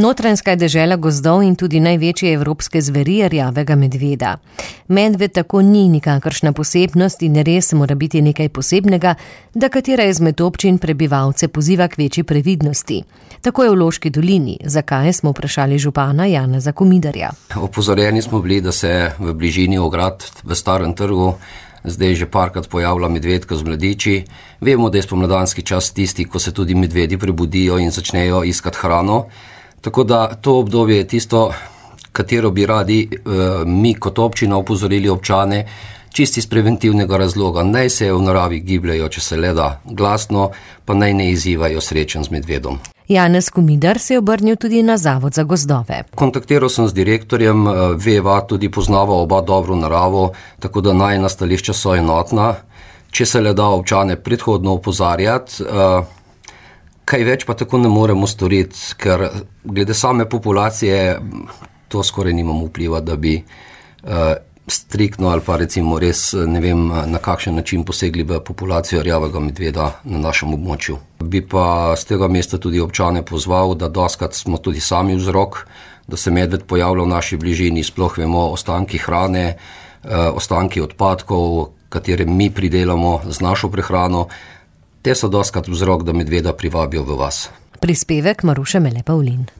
Notranjska je dežela gozdov in tudi največje evropske zveri rjavega medveda. Medved tako ni nikakršna posebnost in res mora biti nekaj posebnega, da katera izmed občin prebivalce poziva k večji previdnosti. Tako je v Loški dolini. Zakaj, smo vprašali župana Janeza Komidarja. Opozorjeni smo bili, da se v bližini ograd v Starem trgu zdaj že parkrat pojavlja medvedka z mladiči. Vemo, da je spomladanski čas tisti, ko se tudi medvedi prebudijo in začnejo iskati hrano. Tako da to obdobje je tisto, katero bi radi mi kot občina opozorili občane, čisti iz preventivnega razloga. Naj se v naravi gibljajo, če se le da glasno, pa naj ne izzivajo srečen z medvedom. Janez Komidar se je obrnil tudi na Zavod za gozdove. Kontaktiral sem z direktorjem, veva, tudi poznava oba dobro naravo, tako da najina stališča so enotna. Če se le da občane predhodno opozarjati, kaj več pa tako ne moremo storiti, ker glede same populacije to skoraj nimamo vpliva, da bi striktno ali pa recimo res ne vem na kakšen način posegli v populacijo rjavega medveda na našem območju. Bi pa z tega mesta tudi občane pozval, da dostikrat smo tudi sami vzrok, da se medved pojavlja v naši bližini, sploh vemo ostanki hrane, ostanki odpadkov, katere mi pridelamo z našo prehrano. Te so dostikrat vzrok, da medveda privabijo v vas. Prispevek Maruše Mele Pavlin.